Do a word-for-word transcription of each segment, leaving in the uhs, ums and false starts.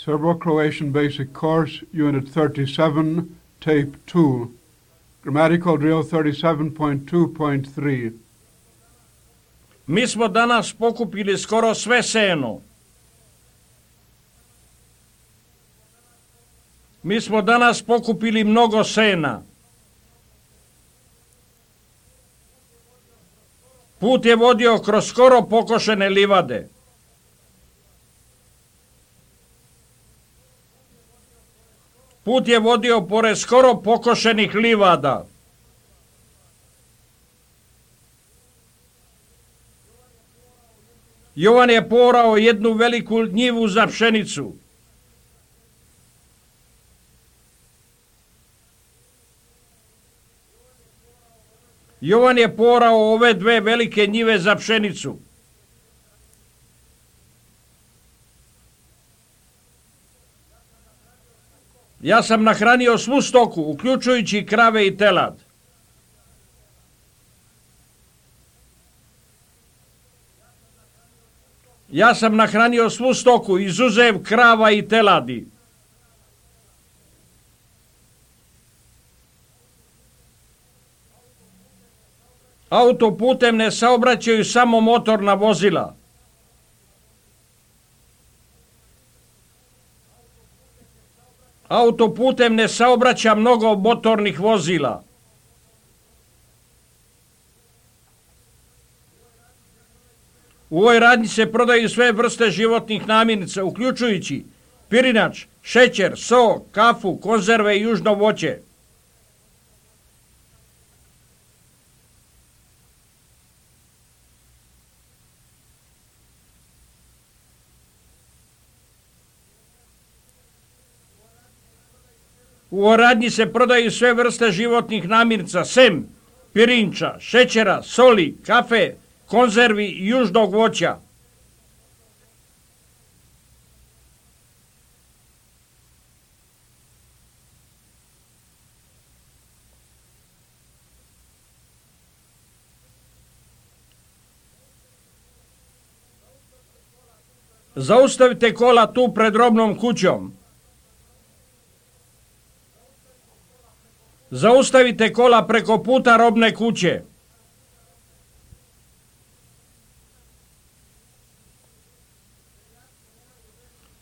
Serbo-Croatian Basic Course, Unit thirty-seven, Tape two. Grammatical Drill thirty-seven point two point three. Mi smo danas pokupili skoro sve seno. Mi smo danas pokupili mnogo sena. Put je vodio kroz skoro pokošene livade. Put je vodio pored skoro pokošenih livada. Jovan je porao jednu veliku njivu za pšenicu. Jovan je porao ove dve velike njive za pšenicu. Ja sam nahranio svu stoku, uključujući krave i telad. Ja sam nahranio svu stoku, izuzev krava i teladi. Autoputem ne saobraćaju samo motorna vozila. Autoputem ne saobraća mnogo motornih vozila. U ovoj radnji se prodaju sve vrste životnih namirnica, uključujući pirinač, šećer, so, kafu, konzerve i južno voće. U ovoj radnji se prodaju sve vrste životnih namirnica, sem pirinča, šećera, soli, kafe, konzervi i južnog voća. Zaustavite kola tu pred robnom kućom. Zaustavite kola preko puta robne kuće.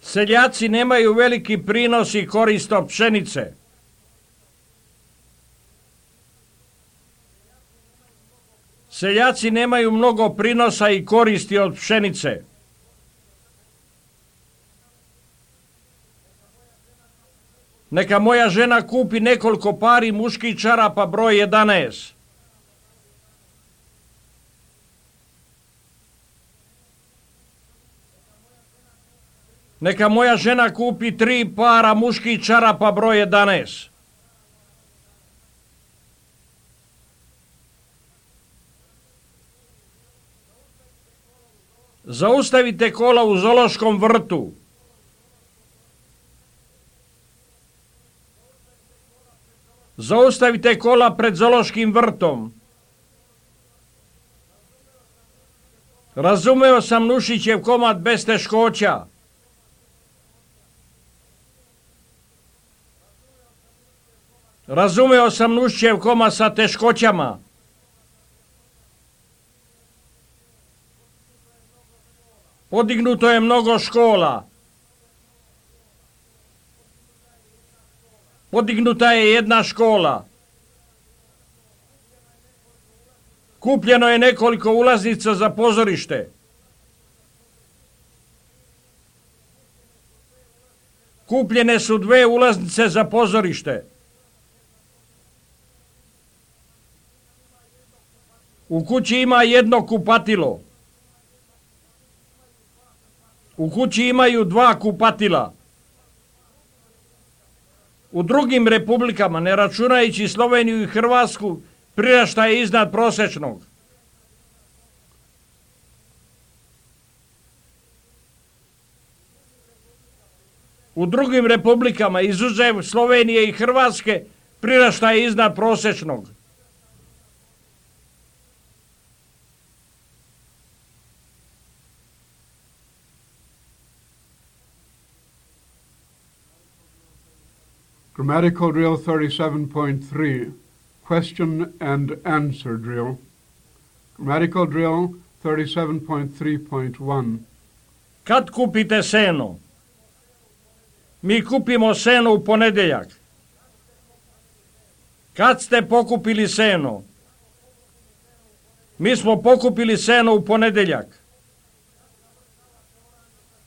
Seljaci nemaju veliki prinos i korist od pšenice. Seljaci nemaju mnogo prinosa i koristi od pšenice. Neka moja žena kupi nekoliko pari muških čarapa broj jedanaest. Neka moja žena kupi tri para muških čarapa broj jedanaest. Zaustavite kola u zoološkom vrtu. Zaustavite kola pred zoološkim vrtom. Razumeo sam Nušićev komad bez teškoća. Razumeo sam Nušićev komad sa teškoćama. Podignuto je mnogo škola. Podignuta je jedna škola. Kupljeno je nekoliko ulaznica za pozorište. Kupljene su dve ulaznice za pozorište. U kući ima jedno kupatilo. U kući imaju dva kupatila. U drugim republikama, ne računajući Sloveniju i Hrvatsku, priraštaj je iznad prosječnog. U drugim republikama, izuzev Slovenije i Hrvatske, priraštaj je iznad prosječnog. Grammatical drill thirty-seven point three, question and answer drill. Grammatical drill thirty-seven point three point one. Kad kupite seno? Mi kupimo seno u ponedeljak. Kad ste pokupili seno? Mi smo pokupili seno u ponedeljak.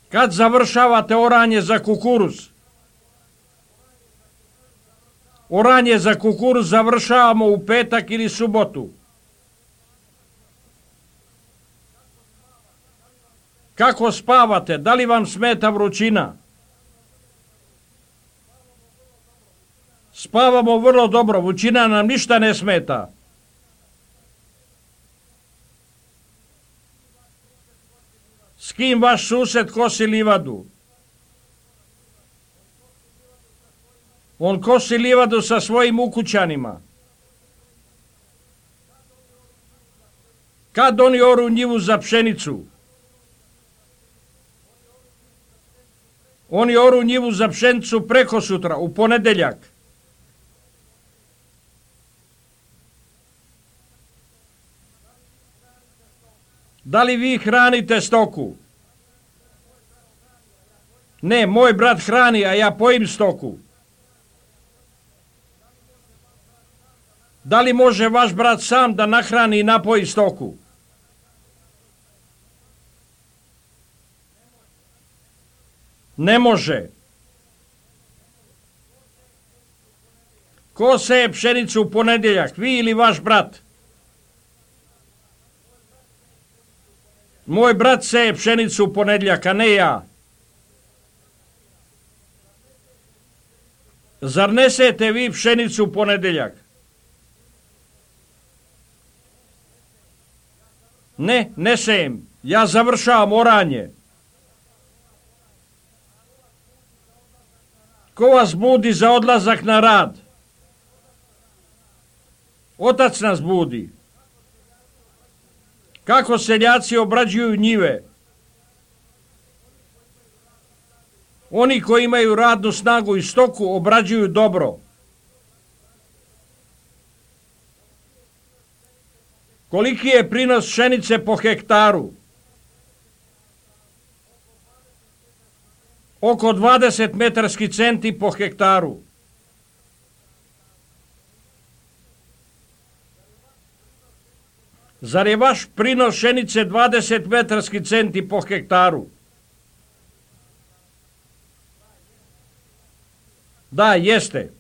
Kad završavate oranje za kukuruz? Oranje za kukuruz završavamo u petak ili subotu. Kako spavate? Da li vam smeta vrućina? Spavamo vrlo dobro, vrućina nam ništa ne smeta. S kim vaš sused kosi livadu? On kosi livadu sa svojim ukućanima. Kad oni oru njivu za pšenicu? Oni oru njivu za pšenicu preko sutra, u ponedeljak. Da li vi hranite stoku? Ne, moj brat hrani, a ja pojim stoku. Da li može vaš brat sam da nahrani i napoji stoku? Ne može. Ko seje pšenicu u ponedeljak, vi ili vaš brat? Moj brat seje pšenicu u ponedeljak, a ne ja. Zar ne sejete vi pšenicu u ponedeljak? Ne, ne sejem. Ja završavam oranje. Ko vas budi za odlazak na rad? Otac nas budi. Kako seljaci obrađuju njive? Oni koji imaju radnu snagu i stoku obrađuju dobro. Koliki je prinos pšenice po hektaru? Oko dvadeset metarski centi po hektaru. Zar je vaš prinos pšenice dvadeset metarski centi po hektaru? Da, jeste.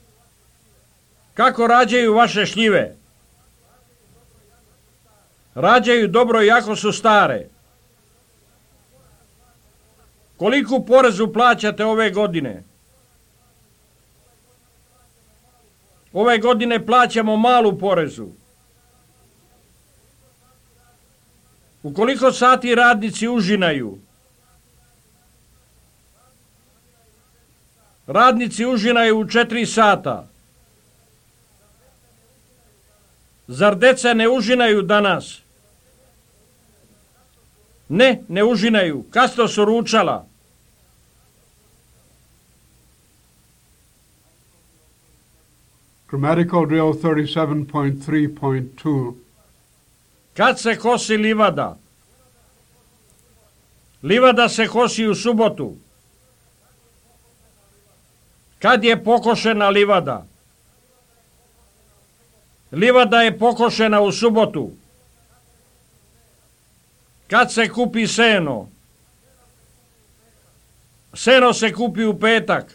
Kako rađaju vaše šljive? Rađaju dobro i jako su stare. Koliku porezu plaćate ove godine? Ove godine plaćamo malu porezu. U koliko sati radnici užinaju? Radnici užinaju u četiri sata. Zar deca ne užinaju danas? Ne, ne užinaju. Kasno su ručala. Grammatical drill thirty-seven point three point two. Kad se kosi livada? Livada se kosi u subotu. Kad je pokošena livada? Livada je pokošena u subotu. Kad se kupi seno? Seno se kupi u petak.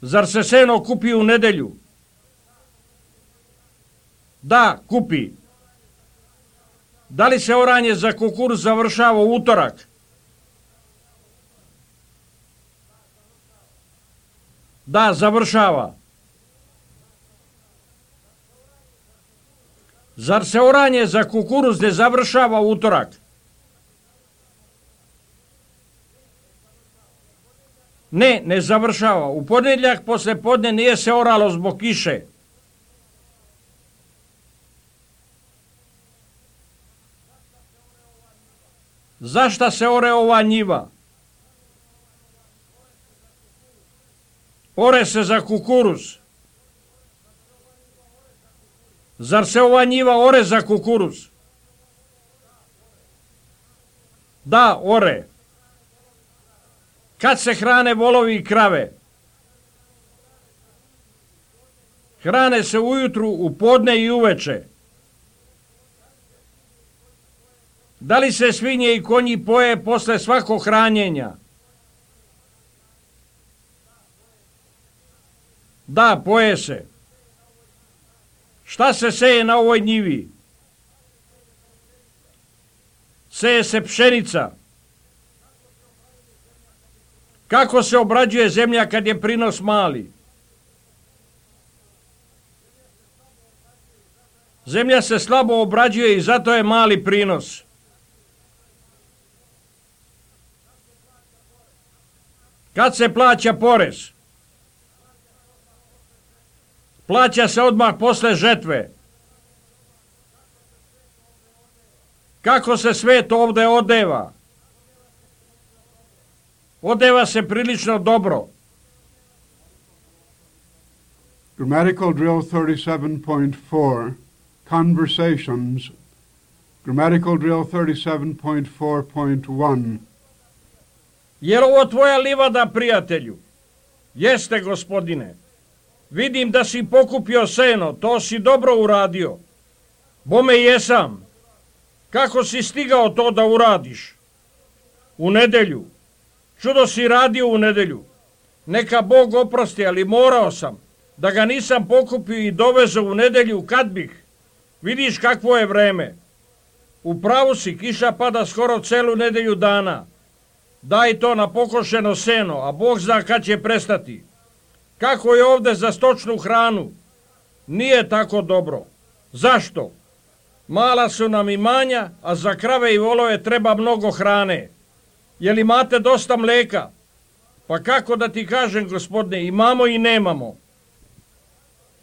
Zar se seno kupi u nedelju? Da, kupi. Da li se oranje za kukuruz završava u utorak? Da, završava. Zar se oranje za kukuruz ne završava u utorak? Ne, ne završava. U ponedjeljak posle podne nije se oralo zbog kiše. Zašta se ore ova njiva? ore se za kukuruz. Zar se ova njiva ore za kukuruz? Da, ore. Kad se hrane volovi i krave? Hrane se ujutru, u podne i uveče. Da li se svinje i konji poje posle svakog hranjenja? Da, poje se. Šta se seje na ovoj njivi? Seje se pšenica. Kako se obrađuje zemlja kad je prinos mali? Zemlja se slabo obrađuje i zato je mali prinos. Kad se plaća porez? Plaća se odmah posle žetve. Kako se svet ovde odeva? Odeva se prilično dobro. Grammatical drill thirty-seven point four, conversations. Grammatical drill thirty-seven point four point one. Je li ovo tvoja livada, prijatelju? Jeste, gospodine. Vidim da si pokupio seno, to si dobro uradio. Bome jesam. Kako si stigao to da uradiš? U nedelju. Čudo si radio u nedelju. Neka Bog oprosti, ali morao sam. Da ga nisam pokupio i dovezao u nedelju, kad bih? Vidiš kakvo je vreme. U pravu si, kiša pada skoro celu nedelju dana. Daj to na pokošeno seno, a Bog zna kad će prestati. Kako je ovde za stočnu hranu? Nije tako dobro. Zašto? Mala su nam imanja, a za krave i volove treba mnogo hrane. Jel imate dosta mleka? Pa kako da ti kažem, gospodine, imamo i nemamo.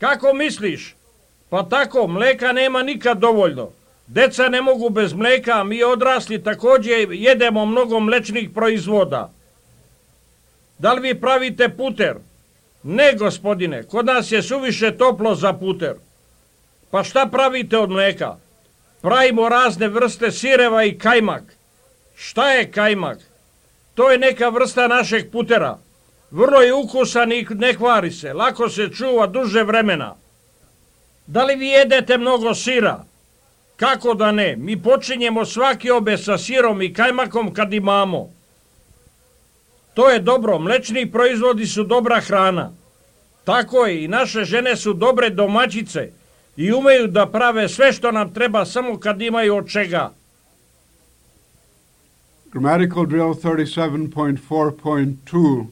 Kako misliš? Pa tako, mleka nema nikad dovoljno. Deca ne mogu bez mleka, a mi odrasli također jedemo mnogo mlečnih proizvoda. Da li vi pravite puter? Ne, gospodine, kod nas je suviše toplo za puter. Pa šta pravite od mleka? Pravimo razne vrste sireva i kajmak. Šta je kajmak? To je neka vrsta našeg putera. Vrlo je ukusan i ne kvari se, lako se čuva duže vremena. Da li vi jedete mnogo sira? Kako da ne? Mi počinjemo svaki obed sa sirom i kajmakom kad imamo. To je dobro, mlečni proizvodi su dobra hrana. Tako je, i naše žene su dobre domaćice i umeju da prave sve što nam treba samo kad imaju od čega. Grammatical drill thirty-seven point four point two.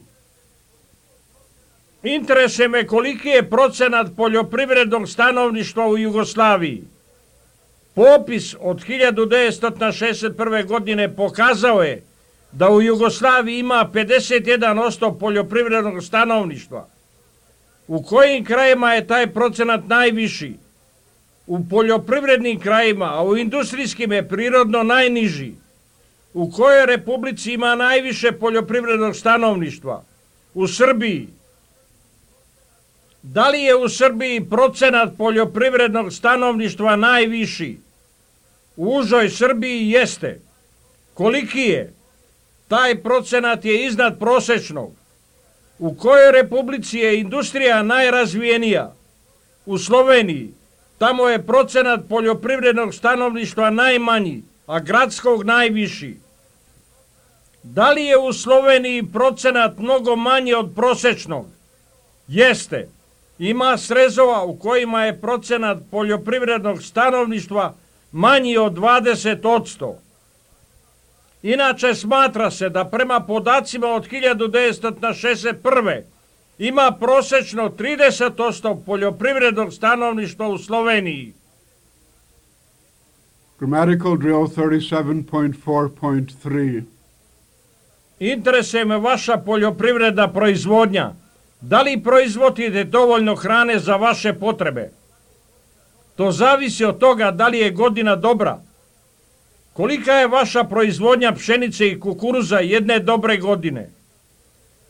Interesuje me koliki je procenat poljoprivrednog stanovništva u Jugoslaviji. Popis od hiljadu devetsto šezdeset prve. godine pokazao je da u Jugoslaviji ima pedeset jedan posto poljoprivrednog stanovništva. U kojim krajima je taj procenat najviši? U poljoprivrednim krajima, a u industrijskim je prirodno najniži. U kojoj republici ima najviše poljoprivrednog stanovništva? U Srbiji. Da li je u Srbiji procenat poljoprivrednog stanovništva najviši? U užoj Srbiji jeste. Koliki je? Taj procenat je iznad prosečnog. U kojoj republici je industrija najrazvijenija? U Sloveniji. Tamo je procenat poljoprivrednog stanovništva najmanji, a gradskog najviši. Da li je u Sloveniji procenat mnogo manji od prosečnog? Jeste. Ima srezova u kojima je procenat poljoprivrednog stanovništva manji od dvadeset posto. Inače smatra se da prema podacima od hiljadu devetsto šezdeset prve. ima prosečno trideset posto poljoprivrednog stanovništva u Sloveniji. Grammatical drill thirty-seven point four point three. Interesuje me vaša poljoprivredna proizvodnja. Da li proizvodite dovoljno hrane za vaše potrebe? To zavisi od toga da li je godina dobra. Kolika je vaša proizvodnja pšenice i kukuruza jedne dobre godine?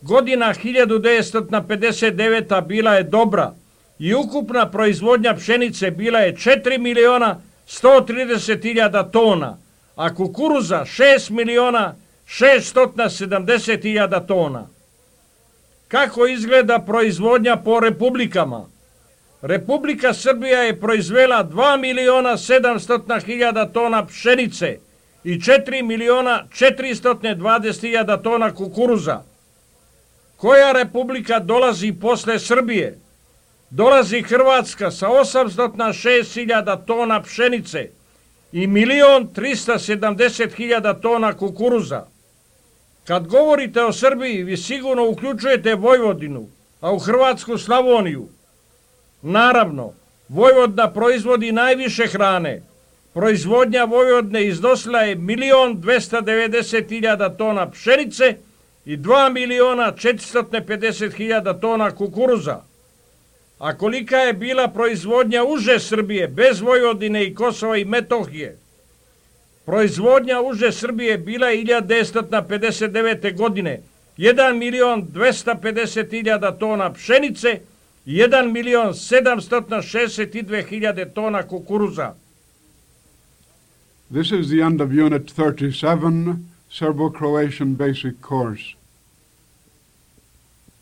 Godina hiljadu devetsto pedeset deveta bila je dobra i ukupna proizvodnja pšenice bila je četiri miliona sto trideset hiljada tona, a kukuruza šest miliona šesto sedamdeset hiljada tona. Kako izgleda proizvodnja po republikama? Republika Srbija je proizvela dva miliona sedamsto hiljada tona pšenice i četiri miliona četiristo dvadeset hiljada tona kukuruza. Koja republika dolazi posle Srbije? Dolazi Hrvatska sa osamsto šest hiljada tona pšenice i milion trista sedamdeset hiljada tona kukuruza. Kad govorite o Srbiji, vi sigurno uključujete Vojvodinu, a u Hrvatsku Slavoniju. Naravno, Vojvodina proizvodi najviše hrane. Proizvodnja Vojvodine iznosila je milion dvesta devedeset hiljada tona pšenice i dva miliona četiristo pedeset hiljada tona kukuruza. A kolika je bila proizvodnja uže Srbije, bez Vojvodine i Kosova i Metohije? Proizvodnja uže Srbije bila je hiljadu devetsto pedeset devete. godine jedan milion dvesta pedeset hiljada tona pšenice i jedan milion sedamsto šezdeset dve hiljade tona kukuruza. This is the end of Unit thirty-seven, Serbo-Croatian Basic Course.